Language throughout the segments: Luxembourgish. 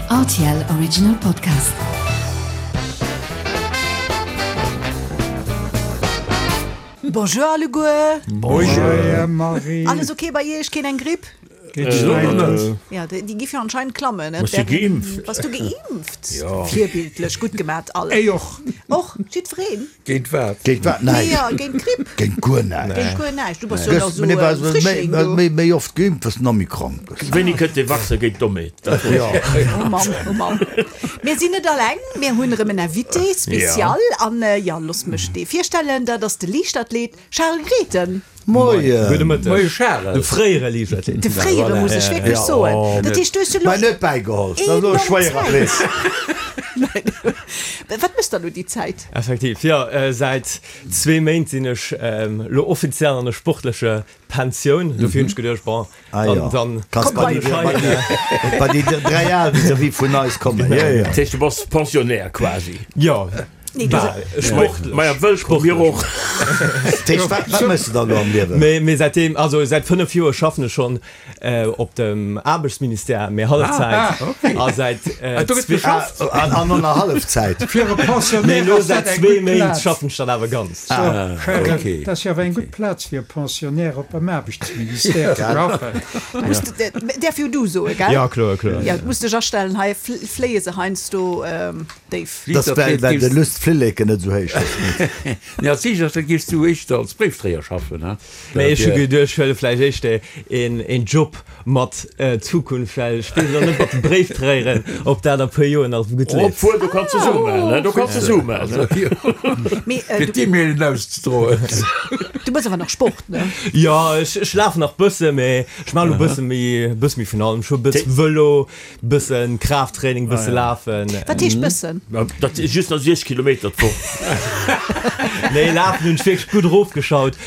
Rtl Original Podcast. Bonjour alleguer. Bonjour Marie. Alles ok bei iech? Keen eng Gripp? Geet schnell net. Ja, déi giff jo anscheinend klammen. Bass du geimpft? Bass du geimpft? Jo. Virbildlech, gutt gemat all. Ech och. Och? Jiddwereen? Géint wat? Géint wat? Näischt. Jo, géint d'Gripp. Géint guer näischt. Géint guer näischt. Du bass jo nach esou e Frischling, du. Méi, méi oft geimpft, wëss nach méi krank gëss. Wéini kënnt dee Vaccin géint d'Dommheet? Jo. Oh Mann, oh Mann. Mir sinn net alleng, mir hunn erëm en Invité spécial. An, jo, looss mech dee virstellen, dat ass de Liichtathlet Charles Grethen. Moien! Gudde Mëtteg. Moie Charel. De fréiere Liichtathlet. De fréiere, muss ech wierklech soen. Dat heescht, du hues jo elo. Mä net bäigeholl. Dat ass elo e schwéierer Athlet. Wat méchs de elo déi Zäit? Effektiv, jo. Säit zwee Méint sinn ech elo offiziell an der sportlecher Pensioun. Dofir hunn ech geduecht, bon, dann. Kanns bei déi, bei déi 3 al vis-à-vis vun eis kommen. Jo, jo. Dat heescht, du bass Pensionnaire quasi? Jo. Nee, du Sportlech. Maja, wëll mir och. Dat wat méchs de dann elo am Liewen? Mee mee säitdeem, also säit 5 Joer schaffen ech schonn op dem Aarbechtsministère, mee Hallefzäit. A säit Do gëtt geschafft? An an der Hallefzäit. Fir e Mee Pensionnaire elo ass dat säit eng zwee gutt Méint Plaz. schaffen ech dann awer ganz. So, Charel, okay. dat ass jo awer eng gutt Plaz fir e Pensionnaire op beim Aarbechtsministère ze schaffen. Du muss, däerf jo du soe, gell? Ja, kloer, kloer. Ja, du muss dech astellen, hei fléie se heiansdo. Déif. Dass well well de Lust Flilleken net esou héich ass. Nee, als Liichtathlet géifs du éischter als Bréifdréier schaffen, he? Mee ech hu geduecht, ech huele vläicht éischter een een Job mat Zukunft, well ech weess elo net mat de Bréifdréieren, ob dat a puer Joer nach esou gutt leeft. Obwuel, do kanns de Sue maachen, he? Do kanns de Sue maachen. Mee Fir d'E-Mailen auszedroen. du méchs awer nach Sport, ne? Jo, ech ech lafen nach bësse, mee ech maachen elo bësse méi bësse méi vun allem. Ech hu e bësse Vëlo, Bëssen Kraafttraining, bësse lafen. Wat heescht bëssen? Dat si just nach 6 Kilometer d'Woch. Nee, lafen hunn ech wierklech gutt erofgeschaut,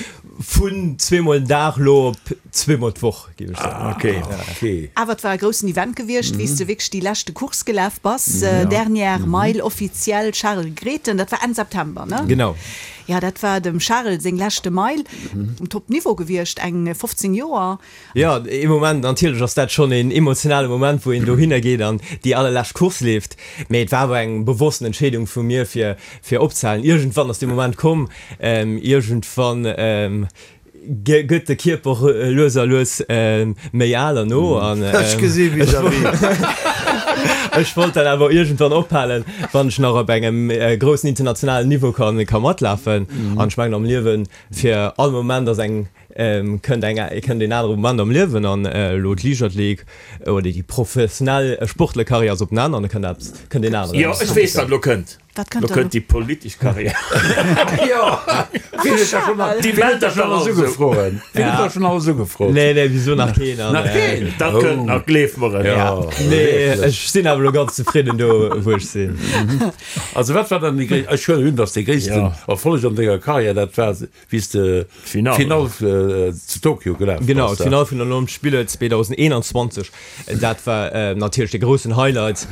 vun zweemol den Dag elo op zweemol d'Woch, géif ech soen. Ok, ok. Awer et war e groussen Event gewiescht, wéi s de wierklech déi leschte Course gelaf bass, Dernière Mile offiziell, Charel Grethen, dat war Enn September, ne? Genau. Jo, dat war dem Charel seng leschte Mile um Top-Niveau gewiescht, eng 15 Joer. Jo, ee Moment, natierlech ass dat schonn een emotionale Moment, wou een dohinner geet an déi allerlescht Course leeft. Mee et war awer eng bewossten Entscheedung vu mir, fir fir opzehalen. Iergendwann ass dee Moment komm, iergendwann gëtt de Kierper lues a lues méi al an no an Ech gesi vis-à-vis. ech wollt dann awer iergendwann ophalen, wann ech nach op engem groussen internationalen Niveau ka ka matlafen. An ech mengen am Liewen, fir all Moment ass eng Kënnt eng kënnt een anere Moment am Liewen an elo d'Liichtathletik oder déi professionell Sportlerkarriär ass op en Enn an da kënnt eppes, kënnt een aneren. Jo, ech weess wat elo kënnt. Wat kënnt Elo dann? kënnt déi politesch Karriär. Jo, wien huet da schonn Déi mellt da schonn schonn alles alles esou. ugefroen? Wien huet da schonn alles ugefrot? Nee, nee, wieso nach keen an. Nach keen? Dat kënnt nach, gleef mer et. Jo, Nee, ech sinn awer elo ganz zefridden do, wou ech sinn. Also wat war dann déi gréisst, ech huelen un, datt dee gréissten Erfolleg an denger Karriär dat war, Wéi s de d'Finall zu Tokio gelaf bass. Genau, d'Finall vun den Olympesch Spiller 2021, dat war natierlech de groussen Highlight.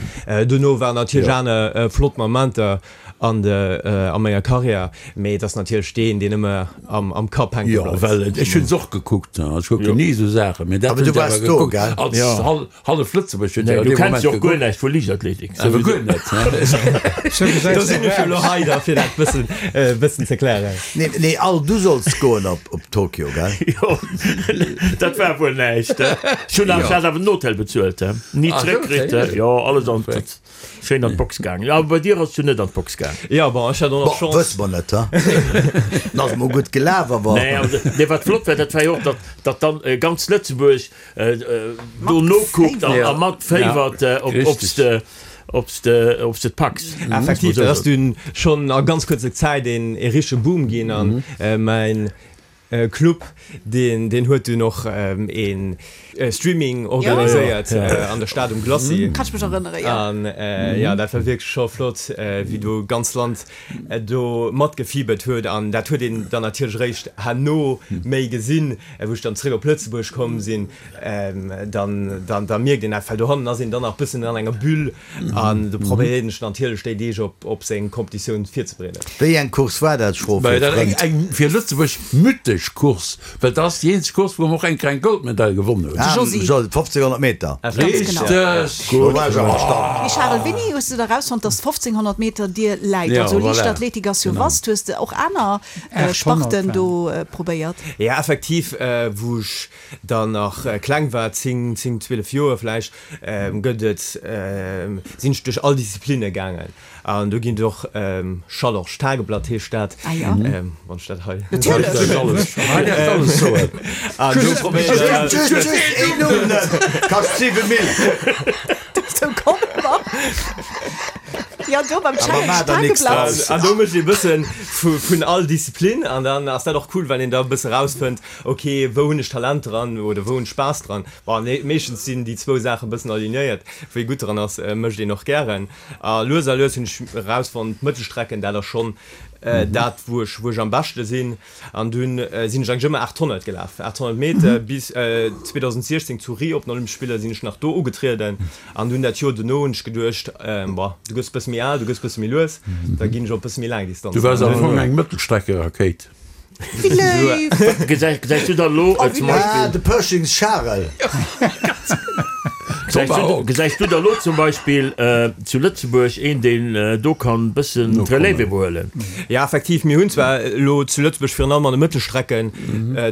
Dono waren natierlech aner flott Momenter an de a menger Karriär, mee et ass natierlech deen, deen ëmmer am Kapp hänke Jo, bleift. well ech hunn se och gekuckt, ech kucken ni esou Saachen, mee dat Awer hunn du ech awer waars do, gekuckt gell? als Hallef Lëtzebuerg huet Nee, jo du dee kenns Moment jo och guer gekuckt. näischt vu Liichtathletik. Awer guer net, ne? Sou gesäit Do sinn ech jo elo hei da fir dat bëssen, bëssen ze klären. Nee, nee, Al, du solls goen op, op Tokio, gell? Jo, dat war wuel näischt, he? Ech hunn awer, ech hat awer den Hotel bezuelt, he? Ni Ah, zréck kritt, he? Jo, alles an, schéin an d'Box gaangen. Jo, awer bei dir ass et jo net an d'Box gaang. Jo, bon, ech hat och nach Bon, Chance. wësse mer net, he? En ass emol gutt gelaf, awer. Nee, also, nee, wat flott war, dat war jo och, datt, datt dann ganz Lëtzebuerg do nokuckt a mat féiwert, ob s de, ob s de, ob s de et packs. Effektiv, dat ass dunn schonn a ganz kuerzer Zäit een ee richtege Boom ginn an mäin Club, deen, deen huet dunn och ee Streaming organiséiert an der Stad um Glacis. Kann ech mech erënnere, jo. An jo, dat war wierklech scho flott, wéi do ganz Land do matgefiebert huet an dat huet een dann natierlech eréischt herno méi gesinn, wou ech dann zréck op Lëtzebuerg komm sinn, dann dann da mierkt een dat, well dohannen ass een dann nach bëssen an enger Bulle an do probéiert een sech natierlech déi Deeg op op seng Competitioun virzebereeden. Wéi eng Course war dat, Schroff Eng fir Lëtzebuerg mythesch. tragesch Course, well dat ass déi eenzeg Course, wou mer och eng Kéier eng Goldmedail gewonnen hunn. De Josy. 1500 Meter. Richteg! Do war ech awer stand. Mee Charel, wéini hues de da rausfonnt, dass 1500 Meter dir läit? Ja, Also voilà. Liichtathletik ass jo Genau. vast. Hues de och aner 800 Sparten war. do probéiert? Ja, effektiv, wou ech dann nach kleng war, 10, 10, 12 Joer vläicht, gëtt et, sinn ech duerch all Disziplinne gaangen. An do ginn et och Schalorsch Tageblatt heescht dat, wann ech dat hei. Natierlech! Hei däerfs de alles soen. An do probéieren ech. Just, just een Numm net, kascht 7 Mille. Dozou komme mer. Jo, do beim Awer Challenge maach der nix Tageblatt. draus. An do mécht ee bësse vun all Disziplin an dann ass dat och cool, well een da e bësse rausfënnt, ok, wou hunn ech Talent dran oder wou hunn ech Spaass dran. Bon, meeschtens sinn déi zwou Saache bëssen alignéiert, wou ee gutt dran ass, mécht een och gären. A lues a lues hunn ech erausfonnt, d'Mëttelstrecken, dat ass schonn dat, wou ech, wou ech am beschte sinn. An dunn sinn ech eigentlech ëmmer 800 gelaf, 800 Meter. Bis 2016 zu Rio op den Olympesche Spiller sinn ech nach do ugetrieden. An dunn dat Joer dono hunn ech geduecht, Bon, du gëss e bësse méi al, du gëss e bësse méi lues, da ginn ech op e bësse méi laang Distanz. Du waars am Fong eng Mëttelstreckerakéit. Wéi léif! Gesäis du da lo zum Beispill. Ah, de Pershings Charel. Gesäis du da lo zum Beispill zu Lëtzebuerg een, deen do kann bëssen d'Relève iwwerhuelen? Ja, effektiv, mir hunn zwar elo zu Lëtzebuerg virun allem an de Mëttelstrecken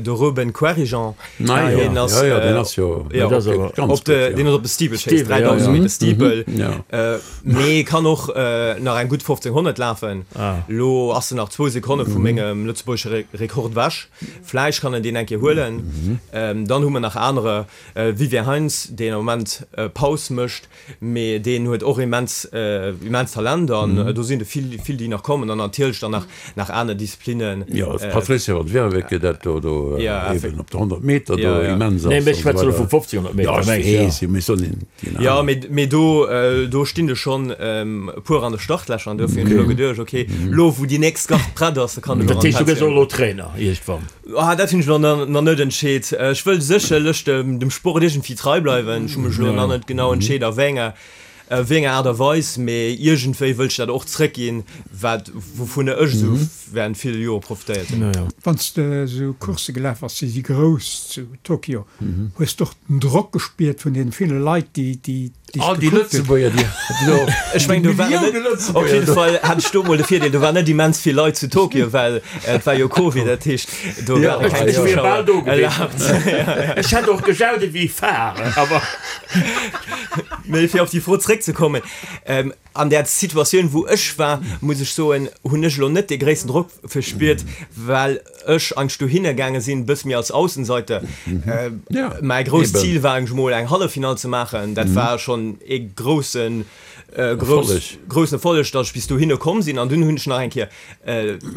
de Ruben Querijean, deen ass op de, deen ass op de Steeplechase, 3000 Meter Steeple. Mee kann och nach eng gutt 1500 lafen. Lo ass en nach zwou Sekonne vu mengem lëtzebuergesche Rekord ewech. Vläicht kann en deen eng Kéier huelen. Dann hu mer nach anerer, Vivien Heintz, deen am Moment Paus mécht, mee deen huet och immens, immens Talent. An do sinn der vill, vill déi nach kommen. An natierlech dann nach, nach aner Disziplinnen. Jo, d'Patricia van Werveke, dat do, do eben op de 100 Meter do immens ass. Nee, mee ech schwätze lo vu 1500 Meter. Jo, ech weess, jo, mee soll een. Jo, mee do do stinn der schonn e puer an de Startlächer an dofir hunn ech elo geduecht, ok, lo wou déi nächst Gart prett ass, da kann ech och Dat heescht, du gëss och an elo Trainer iergendwann? Ah, dat hunn ech elo nach net entscheet. Ech wëll sécherlech dem Sport iergendwéi trei bleiwen. Ech hu mech elo nach net genau entscheet a wéi enger wéi enger Aart a Weis, mee iergendwéi wëll ech dat och zréckginn, wat wouvunner ech esou während ville Jore profitéiert hunn. Wann s de esou Coursse gelaf bass, déi si grouss zu Tokio, hues de och den Drock gespiert vun deene ville Leit, déi déi dech All déi gekuckt hunn? Lëtzebuerger, déi do, Ech mengen, do waren net, op jidde Fall hat ech do mol de Virdeel, do waren net immens vill Leit zu Tokio, well et war jo Covid, dat heescht, do ware keng Ech wier bal Zuschauer do gewiescht. erlaabt. Ech hätt och gejaut ewéi Fare, awer. Mee fir op déi Fro zréckzekommen, An där Situatioun, wou ech war, muss ech soen, hunn ech elo net dee gréissten Drock verspiert, well ech eigentlech dohinner gaange sinn, e bësse méi als Aussenseiter. Mäi grousst Zil war eigentlech emol eng Halleffinall ze maachen. Dat war schonn ee groussen, groussen Erfolleg, datt ech bis dohinner komm sinn. An dunn hunn ech nach eng Kéier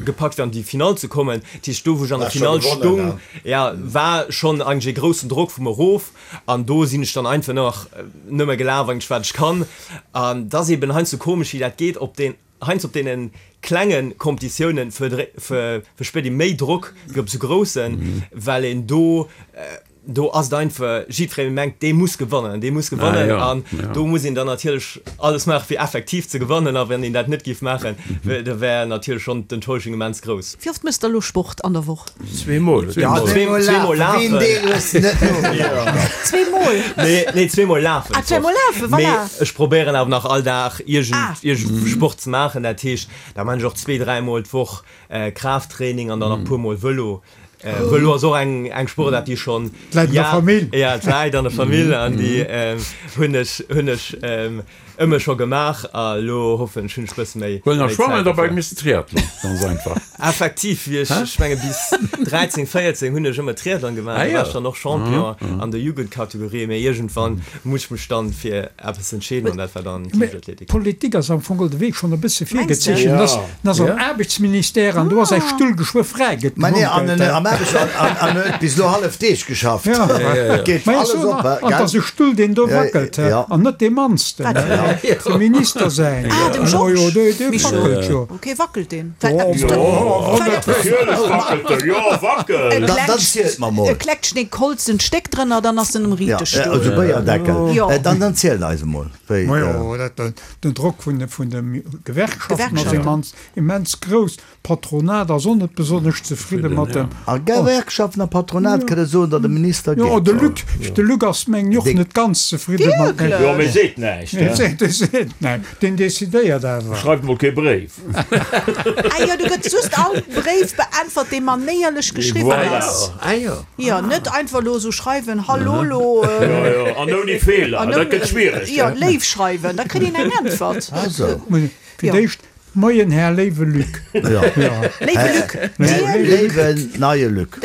gepackt, fir an déi Finall ze kommen. Dat heescht, do wou ech an der Finall stoung, jo, war schonn eigentlech ee groussen Drock vu mer erof. An do sinn ech dann einfach nach nëmme gelaf, eigentlech wat ech kann. An et ass eben heiansdo komesch, wéi dat geet, op den, heiansdo op deene klenge Competitiounen verspiert ee méi Drock wéi op esou groussen, well een do, do ass et einfach, jiddweree mengt, dee muss gewannen, dee muss gewannen. An do muss een dann natierlech alles maachen, fir effektiv ze gewannen. A wann een dat net géif maachen, da wär natierlech schonn d'Enttäuschung immens grouss. Wéi oft méchs de elo Sport an der Woch? Zweemol. Ja, zweemol lafen. Zweemol? Nee, nee, zweemol lafen. Ah, zweemol lafen, voilà. Mee ech probéieren awer nach all Dag iergend, Ah. iergend Sport ze maachen. Dat heescht, da maan ech och zwee, dräimol d'Woch Kraafttraining an dann nach puermol Vëlo. Vëlo ass och eng, eng Sportaart, déi schonn. D'läit an der Famill. Ja, d'läit an der Famill an déi hunn ech, hunn ech Ëmmer scho gemaach a lo hoffen ech hunn ech bësse méi Well nach méi schwammen Zäit dobäi dofir. misst Triathlon, ganz einfach. Effektiv, wéi ech, ech menge bis 13, 14 hunn ech ëmmer Triathlon gemaach, Ah do jo. war ech dann och Champion an der Jugendkategorie, mee iergendwann muss ech mech dann fir eppes entscheeden an dat war dann Mee d'Liichtathletik. d'Politik ass am Fong de Wee schonn e bësse Mengs de? virgezeechent. En ass, en ass am Aarbechtsministère an do ass säi Stull geschwë fräi, gëtt Mä nee, an gemunkelt. en am Aarbechts an an an huet bis elo hallef Deeg geschafft. Ja. Et geet Mä ech alles soen, op, an et gell? ass e Stull, deen do Ja, wackelt, ja. an net dee mannsten. Wat? Dem Minister säin. Ah, dem Georges. Jo, dee wackelt jo. Ok, wackelt deen? Natierlech wackelt en, jo, wackelt. Dann zielt mer mol. E kleckt Holz en Stéck drënner, dann ass en um riichte Stull. Jo, esou Béierdeckel. Dann dann zielt eis emol, wéi. Majo, den Drock vun de Gewerkschaften ass immens, immens grouss. D'Patronat ass och net besonnesch zefridde mat dem. A Gewerkschaften a Patronat kënne soen, datt e Minister geet. Jo, de Luc, de Luc ass mengen och net ganz zefridde mat dem. Jo, mee seet näischt, he? Dee seet näischt, deen decidéiert awer. Schreift mol kee Bréif. Ah jo, do gëtt just all Bréif beäntwert, dee manéierlech geschriwwen ass. Voilà. Ah jo. Jo, net einfach elo esou schreiwen, Hallo, lo. Jo, jo, an ouni Feeler, dat gëtt schwiereg, he? Jo, léif schreiwen, da kritt een eng Äntwert. Ah sou. Fir d'éischt, Moien, Här léiwe Luc. Léiwe Luc, Dir Luc. Léiwen neie Luc.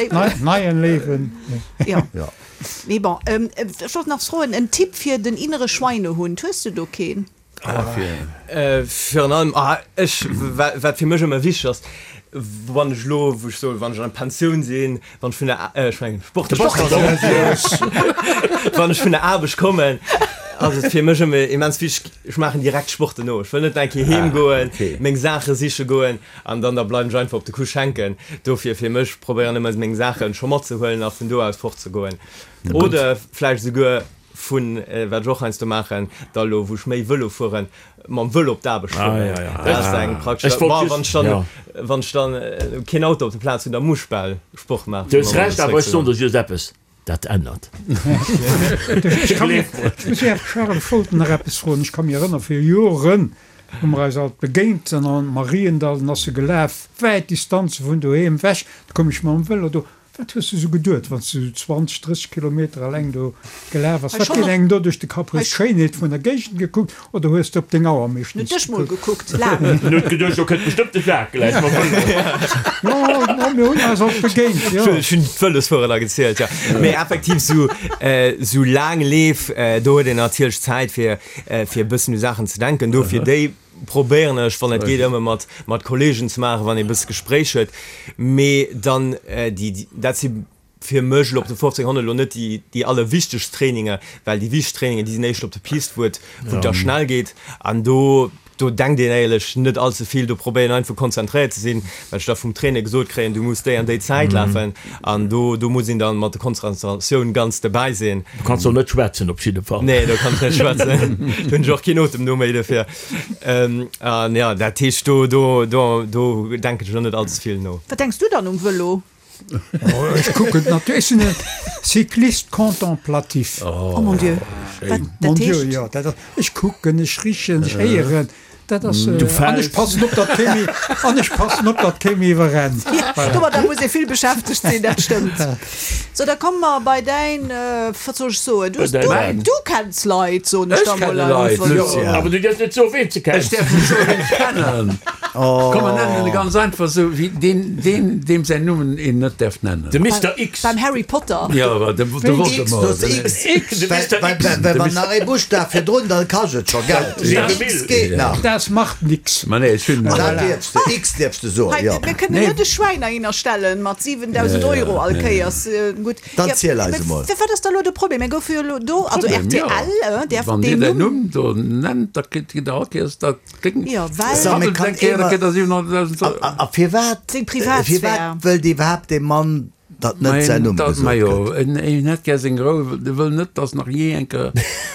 Neien léiwen. Jo. Mee bon, ech wollt nach froen, en Tipp fir den innere Schweinehund, hues du do keen? Virun allem, ech, wat fir mech ëmmer wichteg ass, wann ech elo, wou ech soen, wann ech an der Pensioun sinn, Wann ech vun der, ech mengen Sport, wann ech vun der Aarbecht kommen, ass et fir mech ëmmer immens wichteg, ech maachen direkt Sport dono. Ech wëll net nach eng Kéier heem goen, meng Saache siche goen an dann da bleiwen ech einfach op de Couche hänken. Dofir fir mech probéieren ëmmer meng Saache scho matzehuelen a vun do aus fortzegoen. Oder vläicht esouguer Vun, wat ech och heiansdo maachen, da lo wou ech méi Vëlo fueren, mam Vëlo op d'Aarbecht fueren. Dat ass eng praktesch, ma wann ech dann, wann ech dann keen Auto op der Plaz hunn, da muss ech bal Sport maachen. Du hues Recht, awer ech soen der just eppes, dat ännert. Ech muss Här Charel Scholten nach eppes froen. Ech ka mir erënneren, vir Joren hu mer eis alt begéint an am Mariendall, dann ass e gelaf, wäit Distanze vun doheem ewech, da koum ech mam Vëlo do. Wat hues du sou geduet, wann s du sou 20, 30 Kilometer alleng do gelaf ass? Wat geet engem do duerch de Kapp? Hues d'Schéinheet vun der Géigend gekuckt oder hues de op deng Auer meeschtens gekuckt? En huet geduecht, do kënnt bestëmmt de Jacques gläich mam Vëlo. Jo, no, mir hunn eis och begéint, jo. Ech hunn d'Vëlosfuerer da gezielt, jo. Mee effektiv sou, sou laang Leef, do huet een natierlech Zäit fir, fir e bëssen u Saachen ze denken. Dofir déi probéieren ech, wann et geet, ëmmer mat, mat Kollegen ze maachen, wann ee e bësse Gespréich huet. Mee dann déi, dat si fir mech elo op de 1500 elo net déi, déi allerwichtegst Traininger, well déi wichteg Trainingen, déi sinn éischter op der Pist, wou et, wou et da schnell geet. An do, do denkt een éierlech net all ze vill, do probéieren einfach konzentréiert ze sinn, well ech da vum Trainer gesot kréien, du muss déi an déi Zäit lafen. An do, do muss een dann mat der Konzentratioun ganz dobäi sinn. Du kanns och net schwätzen op jidde Fall. Nee, do kann ech net schwätzen. Do hunn ech och keen Otem no méi dofir. An jo, dat heescht, do, do, do, do denken ech elo net allze vill no. Wat denks du dann um Vëlo? Ech kucken natierlech, ech sinn e Cycliste contemplatif. Oh mon Dieu, wat dat heescht? Jo, dat ass, ech kucken, ech richen, ech héieren. Dat ass, an ech passen op, datt kee méi, an ech passen op, datt kee méi iwwerrennt. Voilà. Domadder muss ee vill beschäftegt sinn, dat stëmmt. Sou, da komme mer bei däin, wat soll ech soen, du, du, du kenns Leit, soen ech Ech da mol kenne Leit, einfach. Lucien. Awer du dierfs net soen, ween s de kenns. Ech däerf net soen, ween ech kennen. Komm, mer nennen e ganz einfach esou, wéi deen, deen, deem säin Numm een net däerf nennen. De Mister X. Beim Harry Potter. Jo, de Voldemort. X, well wann nach ee Buschtaf virdrun, da kascht et scho Geld. X geet nach. Das macht nix. Ma nee, ech hunn. Dat dierfs de, X dierfs de soen, jo. Mir kënnen net e Schwäin heihinner stellen mat 7.000 Euro all Kéiers. Gutt. Dann ziel eis emol. Wat ass da elo de Problem? Mir goufe jo elo do, also Problem, rtl däerf Wann Dir deen däin Numm. Numm do nennt, da kritt Dir all Kéiers dat kléngt. Jo, well. Sa, mee kann Eng Kéier, da ee kritt Der 700.000 Euro. A firwat, Seng Privatsphär. firwat wëllt iwwerhaapt dee Mann, datt net säin Numm gesot Majo, gëtt? en en hätt gär seng Rou, e wëll net, datt nach jee eng Kéier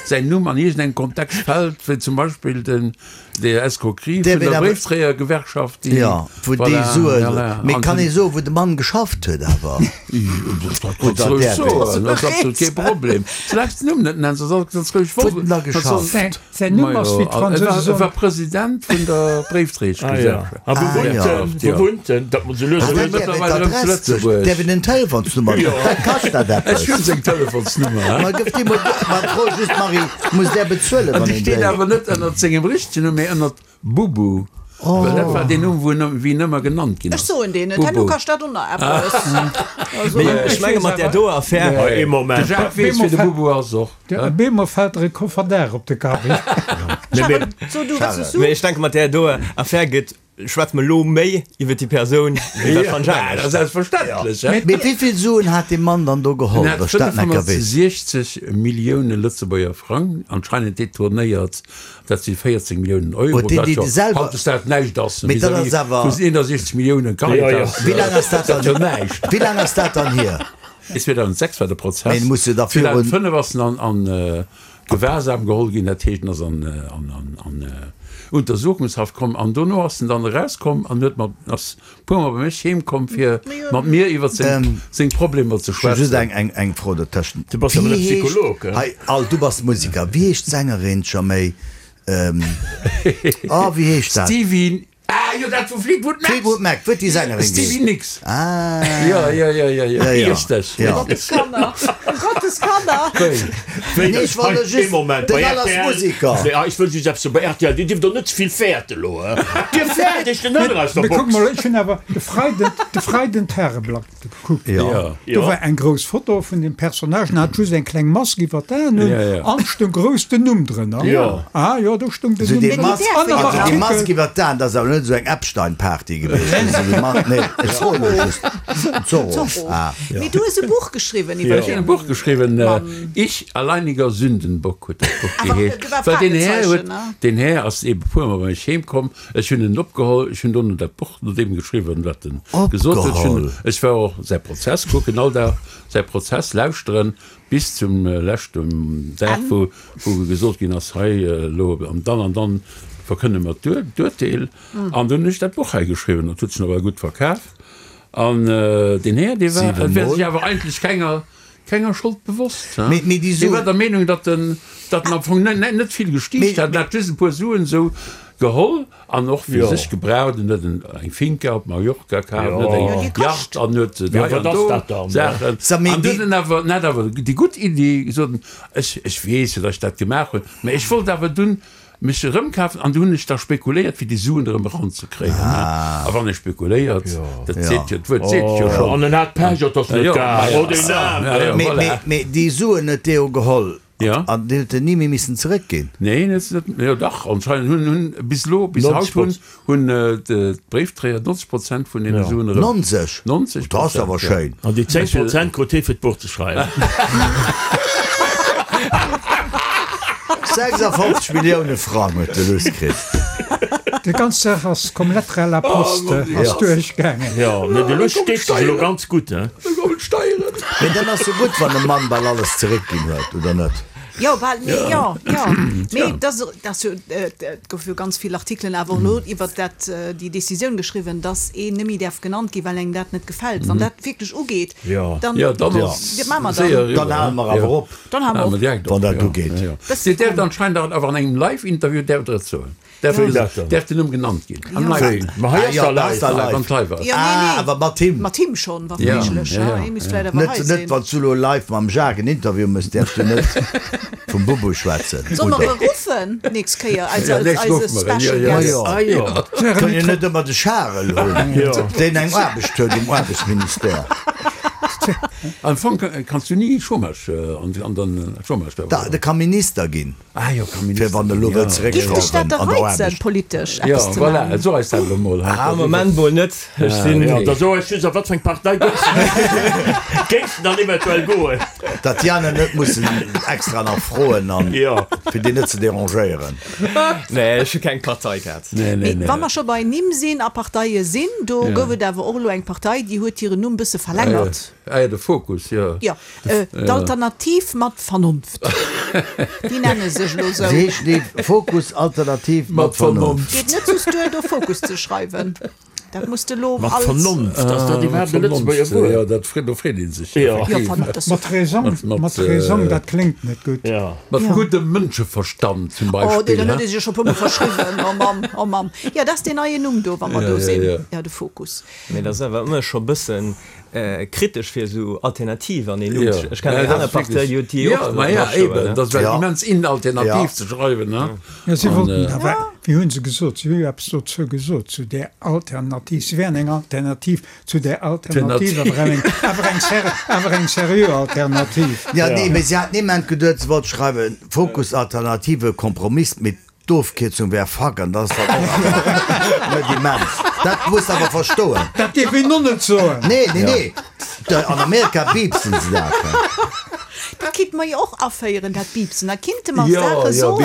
säin Numm an iergendengem Kontext fält, wéi zum Beispill den, déi Escroquerie vun Därf een der awer, Bréifdréiergewerkschaft, déi, jo, wou déi voilà, Suen, voilà, mee an kann den, ee soen, wou de Mann geschafft huet awer? Dat kanns Oder du roueg däerf een? soen, dat ass absolut kee Problem. Soulaang s de den Numm net nenns, ass alles ganz roueg. Wou huet en da geschafft? Säin Numm ass, wéi d'Fransousen E war President vun der Bréifdréieschgesellschaft. A wou wunnt en? Wou wunnt en? Dat muss elo Ah, dat däerf een d'Adress duerch, däerf een den Telefonsnummer, wat kascht dat eppes? Ech hunn seng Telefonsnummer. Ma gëff déi mol, ma fro just d'Marie, muss där bezuelen, An wann déi een steet déi. awer net ënnert sengem richtegen Numm, mee ënnert Bubu. Well dat war deen Numm, wou en, wéi en ëmmer genannt ginn Ech ass. soen deen net, herno Bubu. kascht dat och nach eppes. Also. Mee ech menge mat där doer Affär. Ee Moment. De Jacques weess, wie de Bubu ass och. Op eemol fält der e Koffer Dag op de Kapp. Charel, so du, wat soss du? Mee ech denke mat där doer Affär gëtt. Schwätze mer elo méi iwwer déi Persoun wéi iwwer d'Frank Jang. Dat ass selbstverständlech. Mee wéi vill Suen hat dee Mann dann do geholl? En hat 560 Millioune Lëtzebuerger Frang anscheinend detournéiert. Dat si 14 Milliounen Euro, wat jo hautdesdaags näischt ass vis-à-vis vu 61 Millioune Caritas. Wéi laang ass dat wéi laang ass dat dann hier? 2006 war de Prozess. 2005 ass en an Gewahrsam geholl ginn, dat heescht en ass an an Untersuchungshaft komm an dono ass en dann erauskomm an huet mat ass puer mol bei mech heem komm fir mat mir iwwer seng seng Problemer ze Ech hu just schwätzen. eng eng eng Fro dertëschent. Du bass awer net Psycholog, he? Hei, al, du bass Musiker. Wéi heescht d'Sängerin scho méi? Oh, wéi heescht dat? Stevie Ah jo, dat vu Fleetwood Mac. Fleetwood Mac, wou déi Sängerin geet. Stevie Nicks. Ah. Jo, jo, jo, jo, jo. Ja, ja. Richteg. Ja. Gottes Kanner. Gottes Kanner. Wéi, Nee, ech wollt hei, just, ee Moment, den bei Al ass rtl, Musiker. Nee, ah, ech wëll just eppes soen, bei rtl, Dir dierft och net ze vill fäerten elo, he? Dir fäert iech den Hënner aus der Mee kuck Box. mol, ech hunn awer de Freiden, de Freiden d'Tageblatt gekuckt. Ja. Do war eng grouss Foto vun dem Personnage, en hat just eng kleng Mask iwwer d'Aen un, an stung grouss den Numm drënner. Ah jo, do stung den Numm drënner. Also déi Mask iwwer d'Aen, dat ass awer net esou eng Epstein-Party gewiescht. Nee, ech froen elo just. Zorro. Ah. Mee du hues e Buch geschriwwen iwwer Ech hunn e Buch geschriwwen, Ich, alleiniger Sündenbock huet dat Buch geheescht. Well deen Här huet, deen Här ass eebe puermol bei mech heem komm, Ech hunn en opgeholl, ech hunn dono dat Buch no deem geschriwwen, wat en gesot huet. Ech hunn, ech war och säi Prozess kucken, all Dag säi Prozess lauschteren, bis zum leschten Dag, wou, wou gesot ginn ass, hei elo an dann an dann verkënne mer d'Urteel. An dunn hunn ech dat Buch hei geschriwwen, dat huet sech nawell gutt verkaf. An deen Här, dee war, et wär sech awer eigentlech kenger, Kenger Schold bewosst. Hie war der Meenung, datt en datt en am Fong net vill gestiicht hat, en hat just e puer Suen esou geholl an och fir sech gebraucht. En huet eng Finca op Mallorca kaf, en huet eng Yacht an huet hei an do Saachen. An du huet en awer, en hat awer déi gutt Iddi, gesot, ech ech weess jo, datt ech dat gemaach hunn, mä ech wollt awer dunn mech erëmkafen an du hunn ech da spekuléiert fir déi Suen erëm eranzekréien. A wann ee spekuléiert, dat seet jo, d'Wuert seet jo schonn. An en hat Pech, et ass net gaang. Oh deen Aarmen. Mee, mee déi Suen huet dee jo geholl an déi huet en ni méi missen zeréckginn. Neen, huet se net, jo dach, anscheinend hunn, hunn bis elo, bis haut hunn, hunn d'Bréifdréier 90 Prozent vun deene Suen erëm. 90? 90 Dat ass awer schéin. An déi 10 Prozent krut hee fir d'Buch ze schreiwen. 56 Millioune Frang huet de Luss kritt. Déi ganz Saach ass comme lettre à la poste ass duerchgaangen. Jo, mee de Luss steet sech elo ganz gutt, he? Da kommen d'Steieren. Mee dann ass jo gutt, wann e Mann bal alles zeréckginn huet, oder net? Jo, bal, mee jo, jo. Mee et ass, et ass jo, et goufe jo ganz vill Artikelen awer och elo iwwert dat, déi Decisioun geschriwwen, dass een net méi däerf genannt ginn, well engem dat net gefält. Wann dat wierklech ugeet, dann, Jo, dann ass wat maache mer dann? séier eriwwer. Dann hale mer awer op. Dann hale mer op. Wann dat ugeet. Dir däerft anscheinend awer an engem Live-Interview däerft Der et soen. Däerf den Numm genannt ginn? Ma hei ass der live. Wann et live ass. Ah, awer mat him. Mat him schonn, wa méiglech. Hie misst vläicht awer hei sinn. Net wann s du elo live mam Jacques en Interview mëss, däerfs du net vum Bubu schwätzen. Solle mer e ruffen d'nächst Kéier als eise Special Guest? Ma jo, kënn jo net ëmmer de Charel hunn, deen eng Aarbecht huet um Aarbechtsministère. Am Fong kanns du ni Chômage an den Chômage. De ka Minister ginn. Ah jo, ka Minister Fir wann e lo wëllt Giff dech zeréckschrauwen dat an der reizen, Aarbecht. politesch Jo, eppes ze voilà, man? so eis dat elo mol. Ah, am Moment mol net. Ech sinn. Jo, da so eis just, a wat fir eng Partei géifs de géifs de dann eventuell goen? Datt déi aner net mussen extra nach froen an Jo. fir déi net ze derangéieren. Nee, ech hu keng Parteikaart. Nee, nee, Mee nee. wa mer scho bei Nimm sinn a Parteie sinn, do gouf et awer och elo eng Partei, déi huet hiren Numm bësse verlängert. Ah jo, de Fokus, jo. Jo, d'Alternativ mat Vernonft. Déi nenne sech elo esou. Se heescht déi Fokus Alternativ mat Vernonft. Geet net just duer, do Fokus ze schreiwen. Dat muss de elo Mat als. Vernonft, ass dat iwwerhaapt e Lëtzebuerger Wuert? Jo, dat freet, do freet ee sech Jo. effektiv. Vernonft ass. Mat Raison, mat Raison, dat kléngt net gutt. Jo. Mat guddem Mënscheverstand zum Oh, Beispill, deen he? huet ee sech scho e puermol verschriwwen. Oh Mamm, oh Mamm. Jo, dat ass deen neien Numm do, wa mer do sinn. Jo, de Fokus. Mee dat ass awer ëmmer scho bëssen Kritesch fir esou Alternativ an een Numm. Ech kennen eng aner Partei, déi huet déi och Ma ja, eben, dat war immens in alternativ Ja. ze schreiwen, ne? Jo, si wollten awer, wéi hu se gesot, si hu jo eppes dozou gesot, zu där Alternativ. Si wären eng Alternativ zu där Alternativ, awer eng, awer eng ser, awer eng seriö Alternativ. Ja, nee, mee si hat niemand geduet, se wollt schreiwen, Fokus Alternative, Kompromiss, mee. d'Ofkierzung wär fuck an dat ass dann och awer net immens. Dat muss de awer verstoen. Dat dierf een och net soen. Nee, nee, nee. An Amerika biipsen se dat. Dat kinnte mer jo och aféieren, dat Biipsen. Da kinnte mer Saache soen.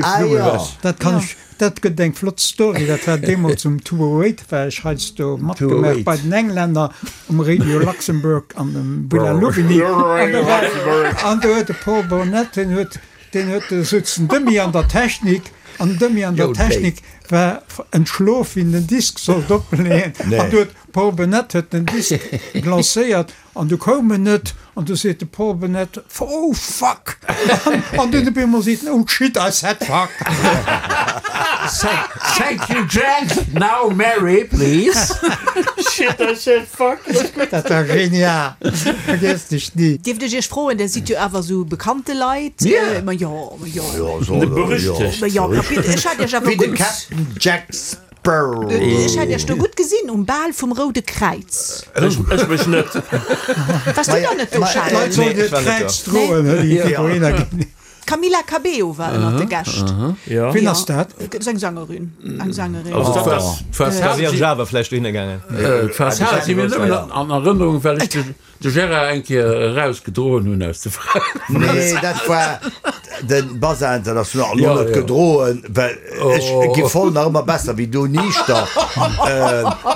Ah jo. Dat kann ech, dat gëtt eng flott Story. Dat war deemools um 208, war ech heiansdo matgemaach bei den Englänner um Radio Luxembourg an dem Villa Louvigny. An do huet de Paul Burnett, deen huet, deen huet, do sutz den Demy an der Technik an den Demy an der Technik war entschlof, wéi en den Disk sollt opleeën. An do huet Paul Burnett huet den Disk lancéiert An du koum en net, an du seet de Paul Burnett, Oh fuck! An dunn op eemol seet en, Oh shit, I said fuck! Thank you Jack, now Mary please. Shit, I said fuck! Dat war genial, vergiesst ech ni. Dierft ech Iech froen, Där sidd jo awer esou bekannte Leit? Mir? Ma jo, ma jo. Jo, so, Berüchtegt. Ma jo, ech hat Iech awer Wéi de gutt. Captain Jack Ech hat iech do gutt gesinn um Bal vum Roude Kräiz. Ech mech net. Wars du dann net do, Charel? D'Leit sollen hiert Kräiz droen, hëlli fir dohinner ginn. D'Camila Cabello war ënnert de Gäscht. Wien ass dat? Dat ass eng Sängerin. Eng Sängerin. Da wier ech awer vläicht dohinner gaangen. D'Fassad si mir nëmmen an Erënnerung, well ech de De Gérard eng Kéier eraus gedroen hunn aus de Fraen. Nee, dat war de Bazar International. Lo net gedroen, well ech gi voll nach ëmmer besser wéi du niichter.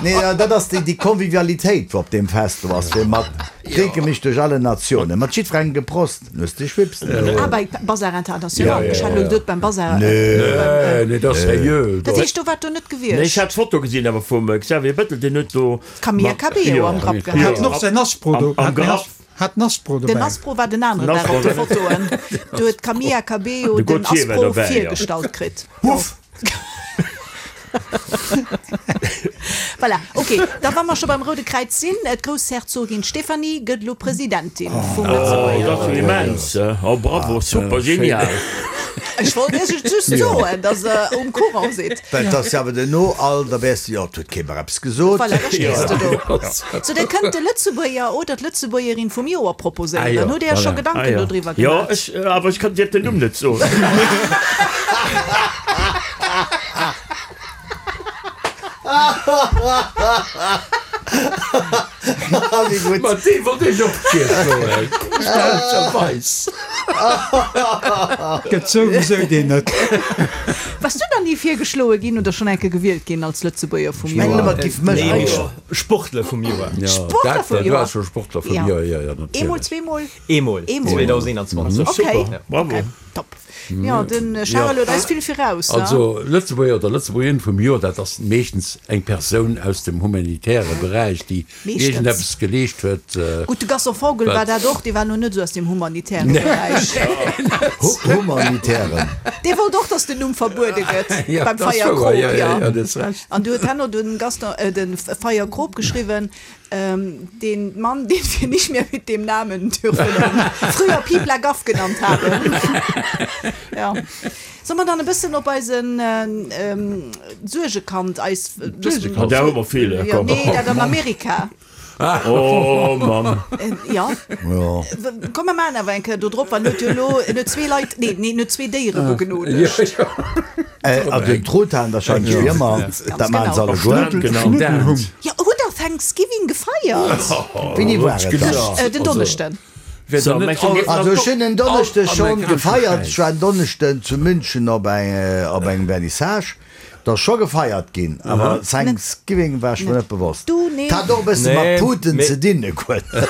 Nee, dat ass déi Convivialitéit, wou op deem Fest do ass, fir mat drénke mich durch alle Nationen. Mat jiddwerengem geprost, dann hues de Schwips. Ah, bei Bazar International. Ech hat elo geduet beim Bazar. Nee, nee, dat ass seriö. Dat heescht, do waart do net gewiescht? Nee, ech hat d'Foto gesinn awer vum Xavier Bettel, deen huet do D'Camilla Cabello am Grapp gehat. Hat och säin Aspro do. Am Grapp. Hat den Aspro dobäi. Den Aspro war den aneren Dag op de Fotoen. Do huet d'Camilla Cabello den Aspro virgestallt kritt. Huff! Voilà, ok. Da wa mer scho beim Roude Kräiz sinn, d'Groussherzogin Stéphanie gëtt elo Presidentin vum Lëtzebuerger. Oh, dat ass jo immens. Oh, bravo, super, genial. Ech wollt Iech et just soen, datt Der um Courant sidd. Well et ass jo awer duerno all, da wäers de jo, et huet kee mer eppes gesot. Voilà, da stees de do. Sou, Dir kënnt de Lëtzebuerger oder d'Lëtzebuergerin vum Joer proposéieren. Hutt Dir Iech scho Gedanken dodriwwer Jo, gemaach? ech, awer ech kann dir den Numm net soen. Wéi gutt. Mat deem wollt ech och virschloen. Fälscherweis. Gëtt souwisou deen net. Bass du dann ni virgeschloe ginn oder schonn enke gewielt ginn als Lëtzebuerger vum Ech mengen Joer? ëmmer, et giff mech Nee, jo. Sportler vum Joer. Sportler vum Du Joer? waars scho Sportler vum Ja. Joer, jo, jo, Eemol, natierlech. zweemol? Eemol, Eemol. 2021. Okay. Super, bravo. Okay, top. Jo, de Charel huet eis vill viraus. Also Lëtzebuerger oder Lëtzebuergerin vum Joer, dat ass meeschtens eng Persoun aus dem humanitäre Beräich, déi iergendeppes geleescht huet. Gutt, de Gaston Vogel war dat och, dee war lo net esou aus dem humanitäre Beräich. Humanitären. Dee wollt och, datt den Numm verbuede gëtt beim Feierkrop, jo. An du huet herno den Gaston, de Feierkrop geschriwwen, Den Mann, den wir nicht mehr mit dem Namen dürfen und früher Piep la Gaff genannt haben. Ja. Soll mer dann e bëssen op eisen Suergekand, eis. Suergekand, där hu mer vill, Ja, komm. nee, dat an Amerika. Oh Mann. Ja. Komm, mer maachen awer eng Kéier do drop, well en huet jo elo, en huet zwee Leit, nee, nee, en huet zwee Déiere begnodegt. An den Truthahn wahrscheinlech wéi ëmmer, dat maachen se alleguer. Schnuddelhung. Jo, hutt der Thanksgiving gefeiert? Wéini war et dann? Den Donneschden. Also ech hunn en Donneschde schonn gefeiert. Ech war en Donneschden zu München op engem Vernissage. Et ass scho gefeiert ginn, awer Thanksgiving war ech mer net bewosst. Et hat och e bësse mat Putin ze dinn, e guer net.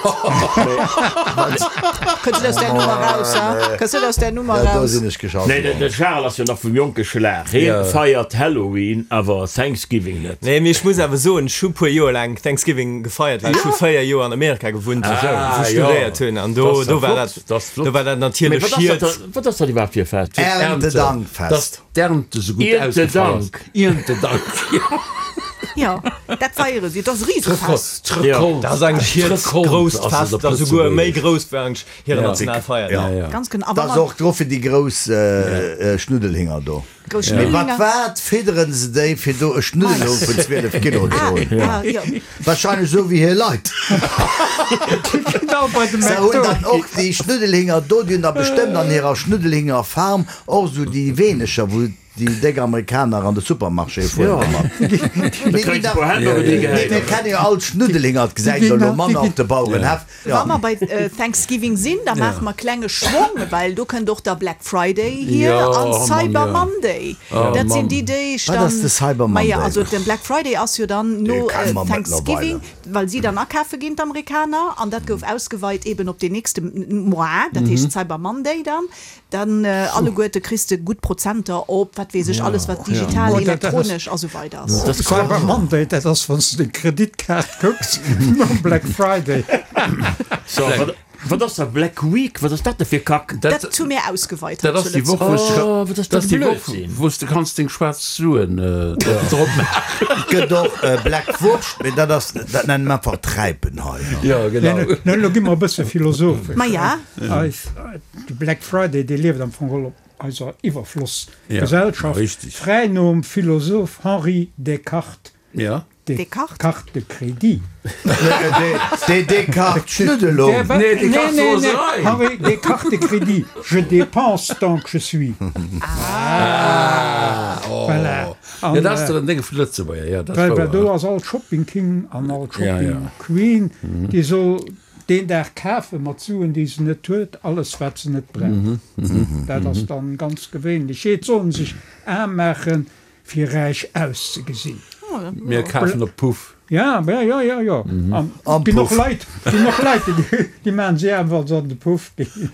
Kënns net aus där Nummer raus, ha? Kënns net aus där Nummer Ja, do raus. sinn ech geschalt Nee, de geworden. Charel ass jo nach vum jonke Schlag. Hie feiert Halloween, awer Thanksgiving net. Nee, mee ech muss awer soen, ech hu puer Joer laang Thanksgiving gefeiert, well ech hu 4 Joer an Amerika gewunnt, wou ech studéiert hunn, an do, do war dat, do war dat Mee natierlech wat ass hiert. dat dann, wat ass dat iwwerhaapt fir e Fest? Erntedankfest. D'Ernte sou gutt ausgefall ass. Erntedank. Erntedank, jo. Jo, dat feiere si, dat ass e Risefest. D'Recolte. Dat ass eigentlech hiert grousst Fest, dat ass esouguer méi grouss wéi eigentlech hiren Nationalfeierdag. Ganz genau. Dat ass och dru fir déi grouss Schnuddelhinger do. Grouss Mee mat Schnuddelhinger. wat fidderen se déi, fir do e Schnuddelhong vun 12 Kilo ze hunn? Ah, jo. Wahrscheinlech esou wéi hir Leit. Genau bei de Se hunn McDo. dann och déi Schnuddelhinger do, déi hunn da bestëmmt an hirer Schnuddelhingerfarm och esou déi wéineger, wou. déi déck Amerikaner an de Supermarché fueren domat. Mir kenne jo all d'Schnuddelhinger, et gesäit een elo manner op de Bauerenhäff. Wa mer bei Thanksgiving sinn, da maache mer klenge Schwong, well do kënnt och da Black Friday hier an Cyber Monday. Dat sinn déi Deeg dann. Wat ass de Cyber Monday? Maja, also de Black Friday ass jo dann no Thanksgiving, well si dann akafe ginn, d'Amerikaner, an dat gouf ausgeweit eben op deen nächste Mois, dat heescht Cyber Monday dann. Dann alleguerte kriss de gutt Prozenter op wat weess ech alles wat digital, elektronesch a sou weider ass. Dat Cyber Monday, dat ass wann s de deng Kreditkaart kucks nom Black Friday. So, wat ass da Black Week? Wat ass dat da fir Kack? Dat hu mir ausgeweit hei Dat zu ass déi Woch, wou s de, Oh, wat ass dat dat ass déi Woch, Blödsinn. wou s de kanns deng schwaarz Suen drop maachen. Et gëtt och Black Wurscht, mee dat ass, dat nennen mer einfach Träipen hei. Jo, genau. No, elo gi mer e bësse philosophesch. Maja. Eis. De Black Friday, dee lieft am Fong geholl op eiser Iwwerflossgesellschaft, fräi nom Philosoph Henri Descartes, Descartes? Carte de crédit. Des Descartes Schnuddelung. Nee, nee, nee, Henri Descartes de crédit, je dépense tant que je suis. Ah, Voilà. Jo, dat ass den Dénge vun Lëtzebuerger, jo, dat ass wouer. Well do ass all Shopping King an all Shopping Queen, déi soll Deen Dag kafe mat Suen, déi se net huet, alles wat se net brauch. Dat ass dann ganz gewéinlech. Et soll en sech aarm maachen, fir räich auszegesinn. Mir kafen op Puff. Ja, ja, ja, jo. An et ginn och Leit, ginn och Leit, déi maachen sech aarm, wa se an de Puff ginn.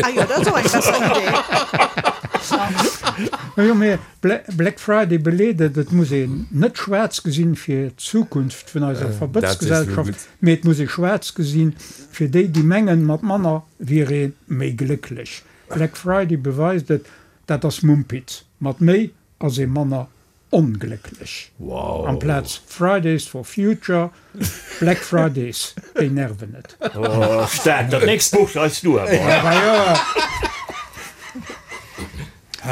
Ah jo, dat ass och eng besser Idee. Jo, mee Black Friday beleet et, et muss een net schwaarz gesinn fir d'Zukunft vun eiser Verbëtzgesellschaft, mee et muss ee schwaarz gesinn fir déi, déi mengen, mat manner wier ee méi glécklech. Black Friday beweist et, dat ass Mumpitz, mat méi ass ee manner onglécklech. Amplaz Fridays for Future, Black Fridays, déi nerven et. Staark, dat nächst Buch schreifs du awer.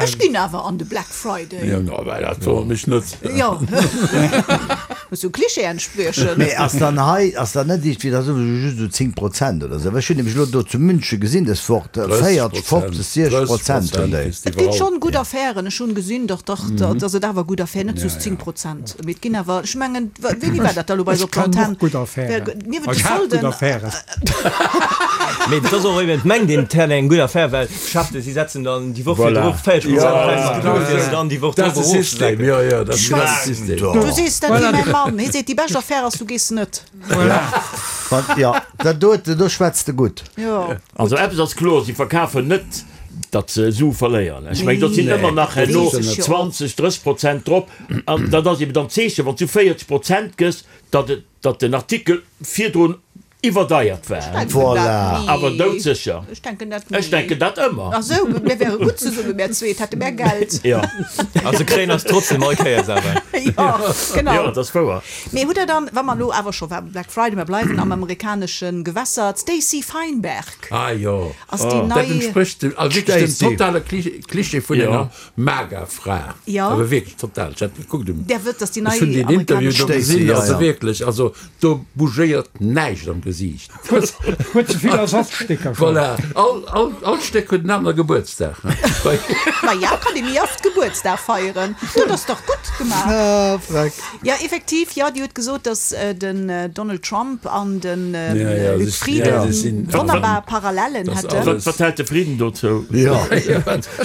Ech ginn awer an de Black Friday. Jo, no, well dat wonnert mech net. Jo, muss jo Klischee entspriechen. Mee ass dann hei, ass dann net iergendwéi, da soe se just esou 10 Prozent oder esou? Well ech hunn nämlech elo do zu München gesinn dës Woch, 40, 50, 60 Prozent hunn déi. Et ginn schonn gutt Affären, ech hunn gesinn, dach, dach, datt et awer gutt Affären, net just 10 Prozent, mee et ginn awer, ech mengen, wéini war dat da elo bei eis op Ech kennen d'Antenn? och gutt Affären. Niewent de Ech hat gutt Solden. Affären. Mee et ass och eben, et mengt een, et hätt eng gutt Affär, well Geschäfte, si setzen dann déi Woch Voilà. virdru 40 Ja, Prozent Präisser fir se dann déi Woch Dat ass drop de System, erofzesecken. jo, jo, dat ass genau de System. Du sees dat wéi mäi Mann, hie seet, déi bescht Affär ass, du gees net. Voilà. Wann, jo, dat dote, do schwätz de gutt. Jo. Also eppes ass kloer, si verkafen net, datt se Sue verléieren. Ech mengen, do sinn ëmmer nach herno 20, 30 Prozent drop. An dat ass eben dann d'Zeechen, wann s du 40 Prozent gëss, datt et, datt den Artikel virdrun iwwerdeiert war. Voilà. Awer doudsécher. Ech denken dat ni. Ech denken dat ëmmer. Ach sou, mir wäre gutt zesummen, mär zweet, hätte mär Geld. Jo. A se kréien eis trotzdem all Kéiers awer. Jo, genau. Jo, dat ass wouer. Mee hutt der dann, wa mer elo awer scho beim Black Friday, mer bleiwen am amerikanesche Gewässer, d'Stacey Feinberg Ah jo, ass déi dat nei. entsprécht dem, also wierklech dem Stacey. totale Klischee vun Jo. enger Maga-Fra. Jo. Awer wierklech total. Ech hat gekuckt um. Där wëllt, dass déi nei Ech hunn deen Interview amerikanesch. do Stacey, gesinn, ja, also ja. wierklech, also do bougéiert näischt am Gesiicht. Huet ze vill Ersatzstécker schon. Voilà, all, all, all Stéck huet en anere Gebuertsdag. Maja, kann ee méi oft Gebuertsdag feieren. Dat ass dach gutt gemaach. Ah, freck. Jo, effektiv, jo, déi huet gesot, datt den Donald Trump an de Ja, ja, Luc si- Frieden ja, si sinn- wonnerbar Parallellen Das hätten. alles. Wat hält de Frieden dozou? Jo, ech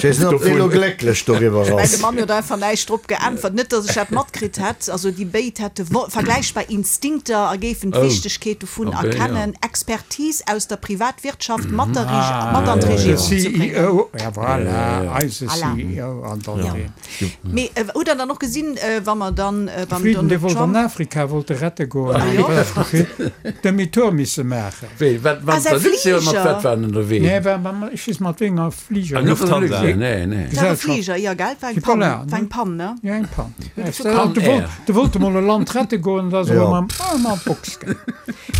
weess net, ob dee lo glécklech doriwwer Ech mengen, ass. de Mann huet einfach näischt drop geäntwert. Net, datt ech dat matkritt hätt. Also déi béid hätte vergläichbar Instinkter a géifen d'Wichtegkeet dovun okay, erkennen, Expertise aus der Privatwirtschaft mat der mat an De d'Regierung ze bréngen. CEO, ja voilà, eise Voilà. CEO an dann Ja. deen. Mee hutt der dann och gesinn, wa mer dann De beim Frieden, dee Donald wollt an Trump. Afrika wollt e rette goen, Ah jo? Demi-tour misse maachen. Wéi, wat, Ah, wat, säi der Luxair, mat Fliger. wat war en ënnerwee? Nee, war mam, ech weess mat wéi enger Fliger. Ah, Lufthansa, Lufthansa. nee, nee. War e Gesellschaft. Fliger, jo gell, war eng Pann, Voilà, war eng Pann, ne? Ja, eng Pann. Pan De wollt, Air. de wollt emol e Land rette goen, da ass Ja. e mam, ah, mam Box gaangen.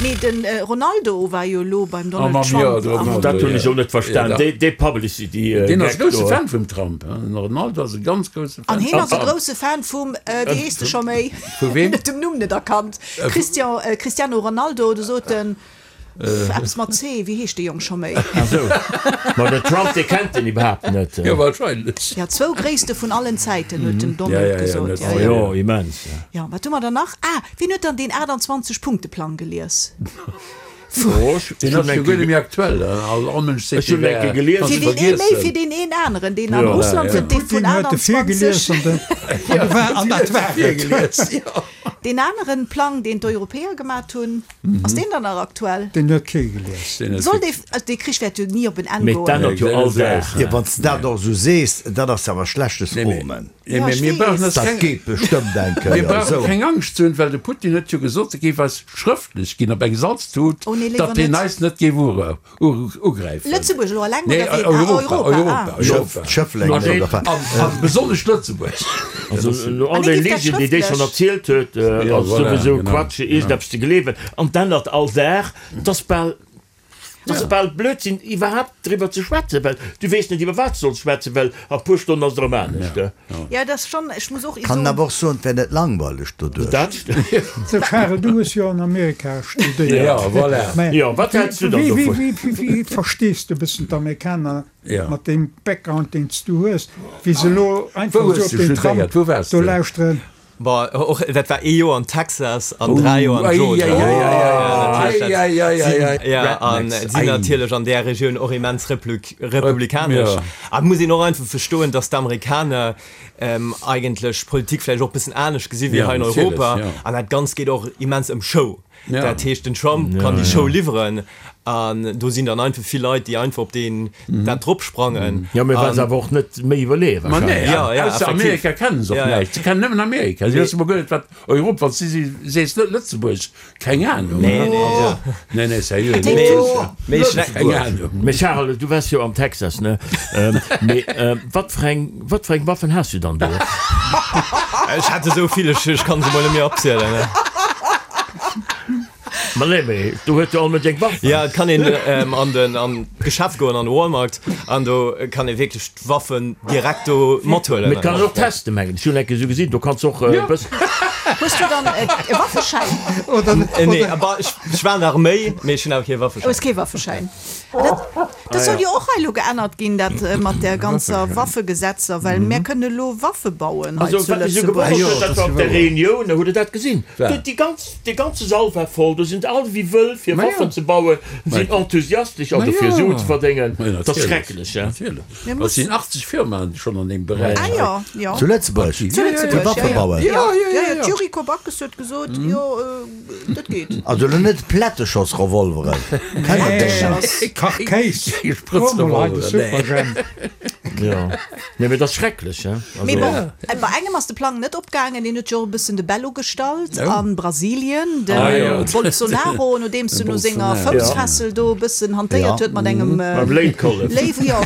Mee de Ronaldo war jo elo beim Ah, Donald mam, Trump. jo, de am- Ronaldo, Dat hunn ech ja. och net verstan. Ja, Dee, dee Publicity Deen ass Gag grousse do. Fan vum Trump, hein. Den Ronaldo ass e ganz grousse Fan. An heen ass e grousse Fan vum, wéi heescht e scho méi? Vu weem? Net dem Numm net erkannt. Christian, Cristiano Ronaldo, do sot en. Eppes mat C, wéi heescht dee Jong scho méi? Ah sou, ma den Trump, dee kennt en iwwerhaapt net. Jo, wahrscheinlech. Jo, zwou Gréisste vun allen Zäiten, huet den Donald gesot. Jo, jo, immens. Jo, wat hu mer dann nach? Ah, wien huet dann deen 28 Punkte Plang gelies? Deen ass jo guer net méi aktuell, all Mënsch seet, dee wär kannst du vergiessen. Fir deen ee méi, fir deen een aneren, deen an Russland huet dee vun 28. An dat war et. Deen aneren Plang, deen d'Europäer gemat hunn, ass deen dann nach aktuell? Deen huet kee gelies. Soll dee, also dee Krich wäert jo ni op en Enn Mee goen. d'ännert jo all Dag. Jo, wann s de dat och esou sees, dat ass awer schlechtes Omen. Nee, mee mir brauchen eis Dat keng, geet bestëmmt eng mir Kéier brauche esou. keng Angscht ze hunn, well de Putin huet jo gesot, e géif eis schrëftlech ginn op eng Salztut, Oh nee, léiwer datt hien net. eis net géif ure, ugräifen. Lëtzebuerg elo alleng Nee, oder ween? Ah, Europa, Europa, Europa, ah. Europa. Schëffleng An, oder wat? an, an besonnesch Lëtzebuerg. Also no all An hie den géif dat Ligen, déi déi schonn schrëftlech. erzielt huet, Ja, ass voilà, souwisou genau. Quatsch, iergendeppes ze gleewen. An d'ännert all Dag. Et ass bal, et ass bal Blödsinn iwwerhaapt driwwer ze schwätzen, well du weess net iwwer wat s de solls schwätzen, well a puer Stonnen ass et erëm anescht. Ja, dat ass schonn, ech muss och Kann soen. awer och soen, et wär net langweileg doduerch. Dat stëmmt. Sou Charel, du hues jo an Amerika studéiert. Ja, voilà. Mä Jo, wat häls du dann wéi, dovun? wéi, wéi, wéi verstees de e bëssen d'Amerikaner Ja. mat deem Background, deen s du hues, wéi se elo einfach Wou esou hues op du den Trump studéiert? Wou waars do du? lauschteren? Bon, och dat war ee Joer an Texas an 3 Joer an Georgia. Ja, an sinn natierlech an där Regioun och immens republikanesch. A et muss een och einfach verstoen, datt d'Amerikaner eigentlech Politik vläicht och e bëssen anescht gesi wéi hei in Europa. An dat Ganzt geet och immens ëm Show. Dat heescht, den Trump kann déi Show liwweren an do sinn dann einfach vill Leit, déi einfach op deen dat drop sprangen. Jo, mee well se awer och net méi iwwerleeë Ma nee, wahrscheinlech. Ja, ja, ausser effektiv. Amerika kennen se och Ja, ja. näischt. Se kennen nëmmen Amerika. Si wësse mol guer net, wat Europa, wann s du si sees, Lë Lëtzebuerg, keng Ahnung. Nee, nee, Also, nee, nee, seriö, Mee- Mee, Lëtzebuerg, mee ech keng Ahnung. Mee Charel, du waars jo am Texas, ne? Mee wat fir eng, wat fir eng Waffen has du dann do? Ech hat esou vill, ech, ech kann se mol net méi opzielen. Ne? Ma nee, mee do huet jo all Mënsch eng Waff. Ja, et kann een ähm, an den an d'Geschäft goen, an de Walmart, an do kann ee wierklech d'Waffen direkt do mathuelen. Mee et kann een och testen, mengen ech. Ech hunn eng Kéier esou gesinn, do kanns du och e bëssen. Hues du dann e Waffeschäin? Oder, Äh, nee, oder, aber ech, ech war an der Arméi, mee ech hunn awer kee Waffeschäin. Hues kee Waffeschäin? Dat, dat soll jo och hei elo geännert ginn, dat mat där ganzer Waffegesetzer, well mär kënnen elo Waffe bauen hei Also zu wat mech esou Lëtzebuerg. gewonnert huet, dat war op der Reunioun, hutt Der dat gesinn? Wat? Déi ganz, dee ganze Sall war voll, do sinn all wéi wëll fir Waffen ze bauen, sinn enthusiastesch, also fir Suen ze verdéngen. Dat ass schrecklech, he? Natierlech. Et sinn 80 Firmaen schonn an deem Beräich. Ah jo, jo. Zu Lëtzebuerg? Zu Lëtzebuerg, Fir Waffe jo, jo. bauen? Jo, jo, jo. D'Yuriko Backes huet gesot, jo, Dat geet. Also lo net Plätteschoss-Revolveren, kennt der déi nach? Nee, Kachkéis. Super Jemp. Jo, nee, mee dat ass schrecklech, he. Mee bon, bei engem ass de Plang net opgaangen, deen huet jo och e bëssen de Bello gestallt a Brasilien, de Bolsonaro, nodeems en no senger Foussfessel do e bëssen hantéiert huet mat engem Léiw, jo.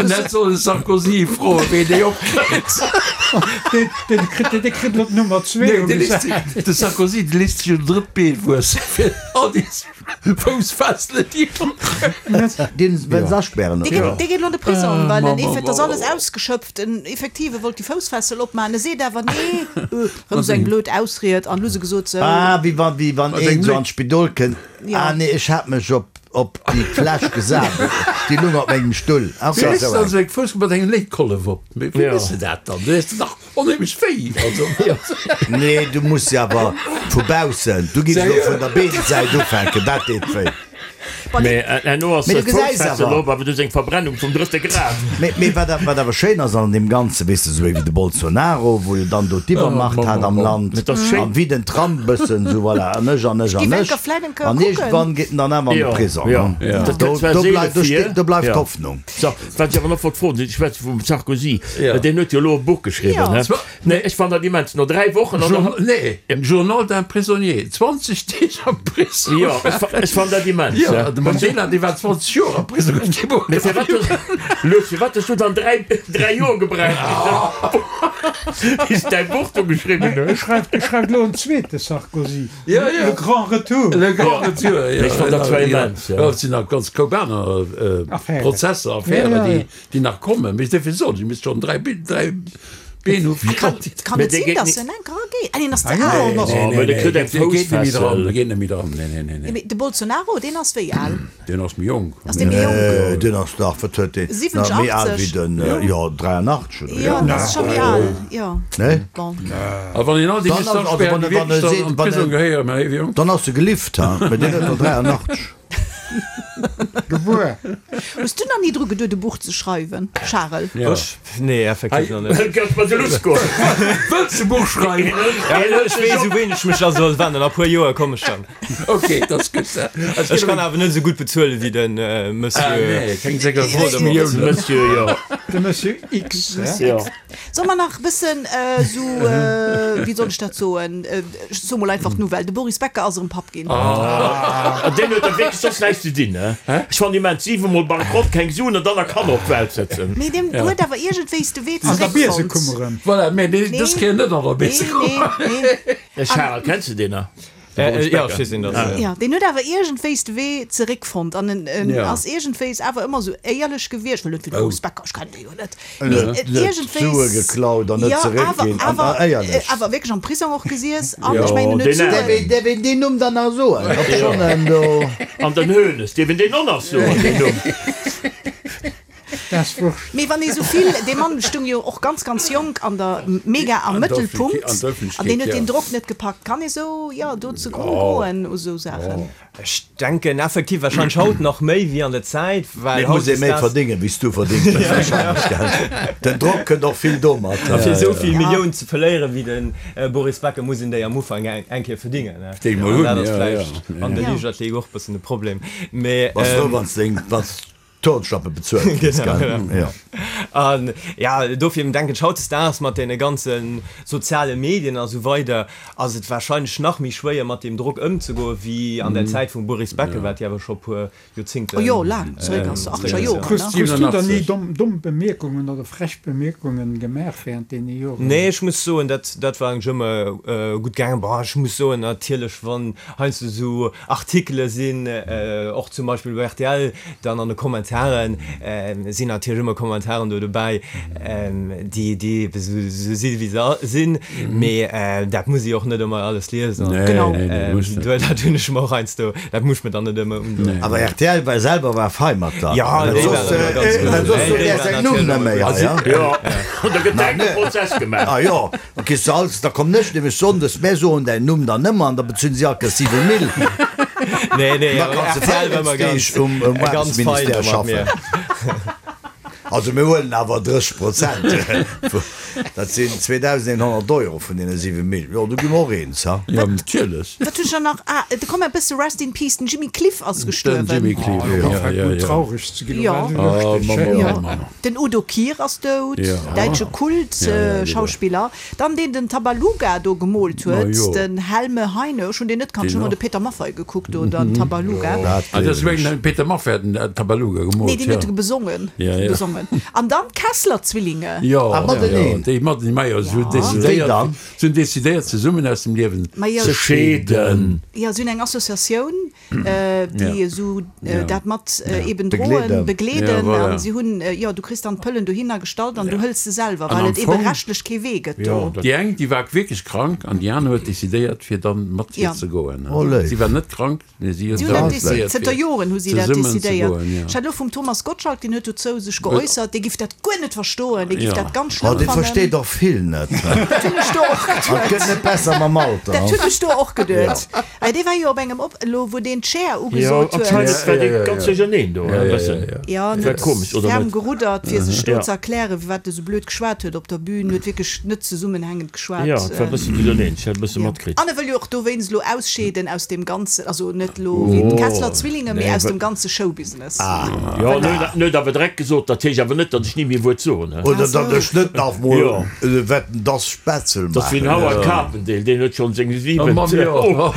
Dat soll de Sarkozy froen, wéi déi opkritt. Deen kritt, dee kritt elo d'Nummer zwee ugesat. De Sarkozy, dee léisst sech un drëtt Been wuessen, fir all déi Foussfesselen, déi en huet. Deen wëll se aspären, Dee geet, dee geet elo an de Prisong, well en effet, ass alles ausgeschöpft. En effektiv, e wollt déi Foussfessel opmaachen, e seet awer nee, erëm esou eng blöd Ausried an hu se gesot, sou. Ah, wéi wann, wéi wann een esou an d'Spidol kënnt, ah nee, ech hat mech op, op déi Fläsch gesat, déi lung op mengem Stull. Ah, Wéi okay, léisst esou de eng. also eng Fouss mat engem Léitkollef op? Wéi méchs de dat dann? Du hues dach onheemlech wéi. Also. Nee, du muss se awer vu baussen, du giffs elo vun der Beensäit ufänken, dat deet wéi. Mee herno ass Mee du gesäis d'Foussfessel awer. op, awer du hues eng Verbrennung vum drëtte Grad. Mee, mee wat, wat awer schéin ass an deem Ganzen, weess de, esou wéi de Bolsonaro, wou jo dann do d'Iwwermacht hat am Land, Et ass schéin. an wéi den Trump bëssen esou, voilà, an ech, an ech, Géif an eng ech, Kéier vläit eng Kéier an kucken. iergendwann geet en dann awer an de Jo, Prisong, jo. ne? Dat Do, gëtt zwar do seele bleift, do vir. steet, do bleift Jo. d'Hoffnung. So, wat ech awer nach wollt froen, ech schwätze vum Sarkozy, Ja. deen huet jo elo e Buch geschriwwen, Ja. ne? Nee, ech fannen dat immens, no 3 Wochen an Jour, nee, Journal d'un prisonnier, 20 Deeg am Prisong. Jo, ech fa, ech fannen dat immens, Jo, ne? de Mandela, dee war 20 Joer am Prisong, huet kee Buch Mee firwat hues, Lutz, firwat hues du dann 3, 3 Joer gebraucht, bis du däi Buch do geschriwwen E hues? schreift, e schreift elo en zweete Sarkozy. Ja, ja. Le grand retour. Le grand retour, jo. Mee ech fannen dat zwar immens, ja. Jo, et sinn nach ganz Koup aner Affären. Prozesser, Affären, Ja, ja, déi, ja. déi nach kommen. Mee ech dierf jo soen, ech misst schonn 3, 3. D'Been hu Kann et sinn, datt en enker erageet? Ah, deen ass ze al. Mee de kritt eng Foussfessel. Dee geet net méi dran. Nee, nee, nee, nee. Mee de Bolsonaro, deen ass wéi al? Deen ass méi jonk. Ass dee méi jonk? Nee, deen ass dach, wat huet deen? 70, Méi al wéi 80? den, jo, 83 oder Jo, esou. dat ass scho méi al, jo. Nee? Bon. A wann een all déi Dann ass, also Mustachspären, wann déi e, wann e wierklech dann seet, an wann d'Prisong e, gehéieren, mä hie wier jonk. dann ass e gelift, ha? Mee deen huet der 83. Gebuer. Hues du nach ni dru geduet e Buch ze schreiwen, Charel? Ja. Ech? Nee, effektiv nach net. Gëtt mer de Lusko. Wëlls de Buch schreiwen? Ech weess u ween ech mech da soll wennen. A puer Joer komm ech dann. Ok, dat ass gutt. Ech kann awer net esou gutt bezuelen wéi de Monsieur. Ah nee, keng 46 Milliounen. Monsieur, jo. De Monsieur X, Monsieur Jo. X. Solle mer nach e bëssen esou, wéi soll ech dat soen, ech soe mol einfach d'Nouvelle, de Boris Becker ass erëm Papp ginn. An deen huet da wierklech soss näischt ze dinn, he? Ech fannen immens, 7 mol Bankrott, keng Suen an dann nach Kanner op d'Welt setzen. Mee deen huet awer iergendwéis de Wee An der zeréckfonnt. Biesekummer erëm. Voilà, mee dës Kéier net an der Beesekummer. Nee, nee, nee. Charel, kenns de deen nach? Ja, ech weess, wien dat ass. Jo, deen huet awer iergendwéis de Wee zeréckfonnt an en ass iergendwéis awer ëmmer esou éierlech gewiescht. Well net wéi de Boris Becker, ech kennen dee jo net, mee iergendwéis. Sue geklaut an net zeréckginn an éierlech. Awer wierklech am Prisong och gesiess an ech mengen, en huet Suen. Däerf een deen Numm dann nach soen? Obschonn en do. An den Hoeneß, dierf een deen och nach soen, deen Numm? Das wurscht. Mee wann ee sou vill, dee Mann stung jo och ganz ganz jonk an der mega am Mëttelpunkt an deen huet deen Drock net gepackt. Kann ee sou, jo, do ze gronn goen u sou Saachen? Ech denken effektiv wahrscheinlech haut nach méi wéi an der Zäit, well Et muss ee méi hautdesdaags. verdéngen, wéi s du verdéngt hues wahrscheinlech, gell? Den Drock kënnt och vill domat. A fir esou vill Milliounen ze verléieren wéi de Boris Becker muss een déi am Ufank eng Kéier verdingen. Déi mol An hunn, dat ass jo, vläicht jo. an der Liichtathletik och e bëssen de Problem. Mee. Bass frou, wann s de deng, wann s Turnschlappe bezuelt kriss, gell? Jo. An ja, dofir denken ech, hautdesdaags mat deene ganze soziale Medien a sou weider ass et warscheinlech nach méi schwéier mat deem Drock ëmzegoen, wéi an der Zäit vum Boris Becker, wat jo awer scho e puer Joerzéngten Oh jo, laang zeréck ass, achtzeger Joren, ne? Krus du dann ni domm Bemierkungen oder frech Bemierkungen gemaach während deene Joren? Nee, ech muss soen, dat dat war eigentlech ëmmer gutt gaangen. Bon, ech muss soen, natierlech wann heiansdo esou Artikele sinn, och zum Beispill bei rtl, dann an de Kommentaren sinn natierlech ëmmer Kommentaren do dobäi, déi déi ebe sou si wéi se sinn, mee dat muss ee och net ëmmer alles liesen. Genau. Dat hunn ech mer och heiansdo, dat muss ech mir dann net ëmmer undoen. Awer rtl war selwer war fei mat der. Jo, déi waren ëmmer ganz gutt. Well soss sot Är säin Numm net méi hei, ja? Jo, an da gëtt direkt e Prozess gemaach. Ah jo. Ok, se als, da komm nech nämlech Sonndes, mär soen däin Numm dann nëmmer an da bezuelen si all Kéiers 7 Mille. Nee, nee, Da kanns de RTL war ëmmer 14 ganz, Deeg um ganz fein Aarbechtsministère do mat mir. schaffen. Also mir huelen awer 30 Prozent, dat sinn 2.100 Euro vun deene 7 Mille. Jo, do gi mer och eens, ha? Jo, natierlech. Wat hunn ech dann nach? Ah, de komm e bësse Rest in Peace, den Jimmy Cliff ass Den gestuerwen. Jimmy Cliff, Oh, jo, fänkt jo, un jo. traureg ze ginn, Jo. dat war Oh, lëschteg, Mamm, hè? oh, Jo. Mamm. Den Udo Kier ass dout, däitsche Kult-Schauspiller. Dann deen den Tabaluga do gemoolt huet, den Helme Heine. Ech hunn deen net kannt, ech hunn ëmmer de Peter Maffay gekuckt do, den Tabaluga. Ah, dat ass wéi den Peter Maffay hat den Tabaluga gemoolt, Nee, deen huet e besongen. Besongen. An dann d'Kessler-Zwillinge. Jo, Ah, mateneen. déi mateneen, majo, se hunn decidéiert, se hunn decidéiert zesummen aus dem Liewen ze scheeden. Jo, se hunn eng Associatioun. déi esou dat mat eben droen, begleeden an si hunn, jo, du kriss dann d'Pëllen dohinner gestallt an du hëls se selwer, well et ebe rechtlech kee Wee gëtt do. Déi eng, déi war wierklech krank an déi aner huet decidéiert, fir dann mat hir ze goen. Si war net krank, mee si huet dann decidéiert, Zënter Joren hu si dat zesummen ze decidéiert. goen, jo. Ech hat elo vum Thomas Gottschalk, deen huet dozou sech geäussert, dee giff dat guer net verstoen, dee giff dat ganz Oh, schlëmm dee fannen. versteet och vill net. Dat hunn ech do och An et geduet. gëtt net besser mam Alter. Dat hunn ech do och geduet. Ei, dee war jo op engem op, elo wou deen d'Chair Jo, ugesot huet. anscheinend war dee ganz duercherneen do, e bëssen. Jo, en War huet komesch, oder ferm net? geruddert, fir sech do Ja. ze erklären, firwat e sou blöd geschwat huet op der Bühn. Huet wierklech net zesummenhängend geschwat. Jo, et war e bëssen duercherneen, ech hat e bësse Jo. matkritt. An e wëll jo och dowéinst elo ausscheeden aus deem ganzen, also net elo wéi d'Kessler Zwillinge, mee aus dem ganze Showbusiness. Jo, en huet en huet awer direkt gesot, dat heescht awer net, datt ech ni méi e Wuert soen, he. Oder datt ech net nach mol Jo. wetten dass Spätzel Dat ass wéi den maachen. Howard Carpendale, deen huet schonn seng Oh, Mamm, jo.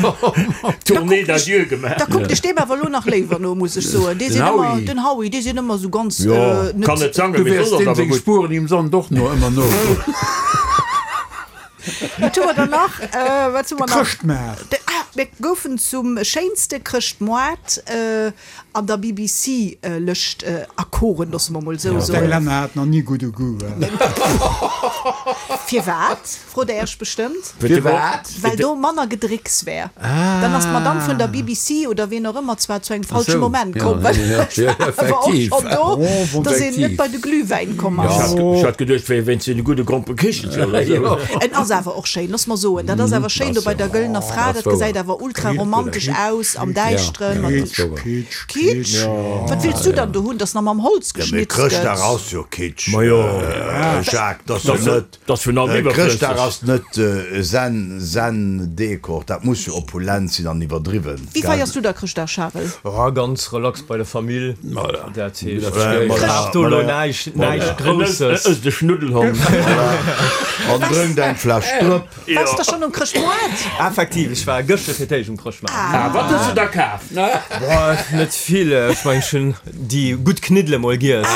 Tournée d'adieu gemaach. Da kuckt ech deem awer elo nach léiwer no, muss ech soen. Dee Den sinn ëmmer, Howie. den Howie, dee sinn ëmmer esou ganz, Jo, net. kann net sangen, Du mee wäers soss ass deem awer seng gutt. Spueren im Sand och no ëmmer nogoen. Wat hu mer dann nach? Wat hu mer nach? Chrëschtmaart. De, ah! Mir goufen zum schéinste Chrëschtmoart an der BBC-Lëscht erkoren, loosse mer mol esou soen. D'Englänner haten nach ni gudde Goût. Firwat, frot Der Iech bestëmmt? Firwat? Well do manner Gedrécks wär. Dann ass d'Madame vun der BBC oder wien och ëmmer zwar zu engem falsche Moment komm, well ech war awer och schonn do, dass een net bei de Glühwäin komm ass. Ech hat geduecht, wéi wéinst deene gudde Gromperekichelcher oder esou. En ass awer och schéin, looss mer soen, dat ass awer schéin do bei der Gëllener Fra, dat gesäit awer ultra romantesch aus am Däischteren mat. Kitsch, Kitsch? Wat wills du dann do hunn, dass nach mam Holz Ja, mee geschnitzt gëtt? Chrëschtdag ass jo Kitsch, Jacques, dat ass jo net. Dass vun allem iwwerflësseg. Chrëschtdag ass net Zen, Zen-Dekor, dat muss jo opulent sinn an iwwerdriwwen. Wéi feiers du da Chrëschtdag, Charel? Oh, ganz relax bei der Famill. Dat heescht, ech brauch do elo näischt, näischt Grousses. Ësst e Schnuddelhond. An drënkt eng Fläsch Drëpp. Waars de schonn um Chrëschtmoart? Effektiv, ech war gëschter fir d'éischt um Chrëschtmaart. Ah, wat hues du da kaf? Boah, net vill. Ech mengen, ech hunn déi gutt Kniddele mol giess.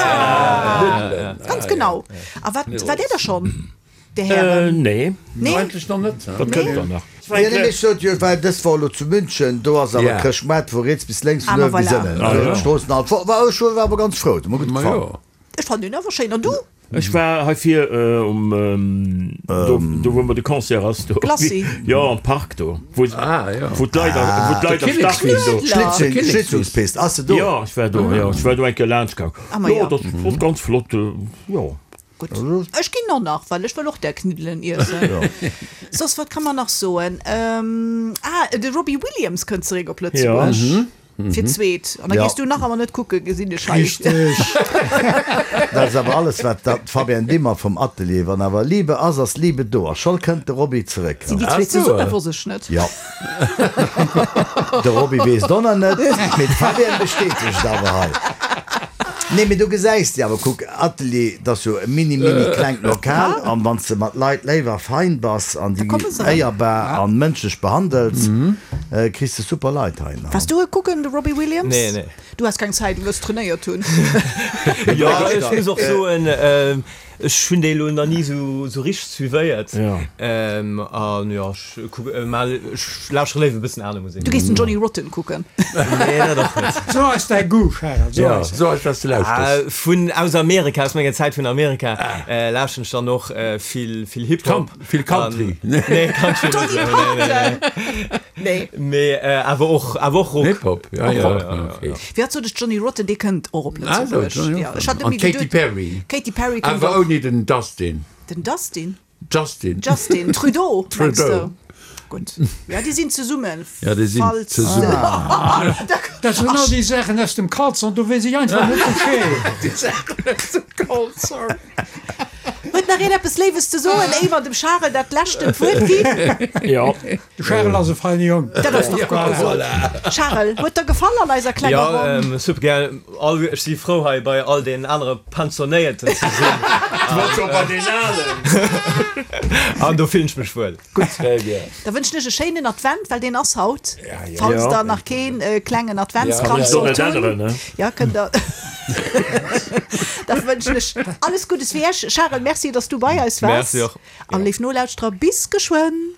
Ganz genau. A wat, waart Dir da schonn, Dir Hären? Nee. Nee? Eigentlech nach net. Dat kënnt dann nach. Jo, nee, mee ech sot jo, ech war dës Woch elo zu München, do ass awer Chrëschtmaart vu riets bis lénks, vun Ah, ma uewen bis voilà. ënnen, also d'Stroossen all voll. War ech war awer ganz frou, huet mer gutt gefall. Ech fannen deen awer schéin. An du? Ech war hei vir um, do, do wou ëmmer de Concert ass, do. Glacis. Jo, am Park do, wou, wou d'Leit, wou d'Leit am Start sinn do. Schlittchen, Schlittschuhspist, ass se do? Jo, ech war do, jo, ech war do eng Kéier laanscht gaang. Ah, ma Jo, jo. dat ass ganz flott, jo. Gutt, ech ginn och nach, well ech wëll och där Kniddelen iessen. Soss, wat ka mer nach soen? Ah, de Robbie Williams kënnt zeréck op Lëtzebuerg fir d'zweet. An da gees du nach awer net kucken, gesinn ech hei. Richteg. Dat ass awer alles, wat d'Fabienne Dimmer vum Atelier, Wann awer Liebe ass, ass Liebe do. A scho kënnt de Robbie zeréck. Sinn déi zwee zesummen? Wosst ech net. Jo. De Roby weess et och nach net, mee d'Fabienne bestätegt et awer hei. Nee, mee do gesäis de awer, kuck, Atelier, dat ass jo e mini, mini klengt Lokal, an wann s de mat Leit léif a fein bass an déi éierbar an mënschlech behandels, kriss de super Leit hei. Waars du e kucken, de Robbie Williams? Nee, nee. Du has keng Zäit, du wëlls trainéiert hunn. Jo, ech muss och soen, Ech hunn déi elo nach ni sou richteg suivéiert. An jo, ech kucken mal, ech lauschtere léiwer e bëssen aner Musek. Du gees den Johnny Rotten kucken? Nee, dat och net. So eis däi Goût, Charel, so eis et. So eis, wat s de lauschters. Vun, aus Amerika, aus menger Zäit vun Amerika, lauschteren ech dann och vill, vill Hip-Hop. Vill Country? Nee, Country net esou, nee, nee, nee. Nee. Mee awer och, awer och Rock. Hip-Hop, ja, ja, okay. Wéi hat sot ech, Johnny Rotten, dee kënnt och op Also, Lëtzebuerg. Johnny Ja, Rotten. ech hat An nëmme d'Katy geduet, Perry. Katy Perry kënnt Awer och. ouni den Dustin. Den Dustin? Justin. Justin Trudeau, mengs Trudeau. de? Gutt. Ja, déi sinn zesummen, Ja, déi sinn falls. zesummen. Dat sinn all déi Saachen aus dem Kalzong, do weess ech einfach net Bescheed. Déi Saachen aus dem Kalzong. Huet nach een eppes Léiwes ze soen, éier mer dem Charel dat leschten Wuert ginn? Jo. De Charel ass e feine Jong. Dat ass dach gutt gesot. Charel, huet der gefall an eiser klenger Ronn? Jo, super gär. All, ech si frou hei bei all den anere Pensionéierten ze sinn. Du wars scho bei den Alen. An do fillen ech mech wuel. Gutt. Très bien. Da wënschen ech e schéinen Advent, well deen ass haut. Falls Jo. der nach keen klengen Adventskranz sollt hunn. Jo, kënnt der. Da wënschen ech alles Guddes fir Iech. Charel, merci, dass du bei eis waars. Merci och. An léif Nolauschterer, bis geschwënn.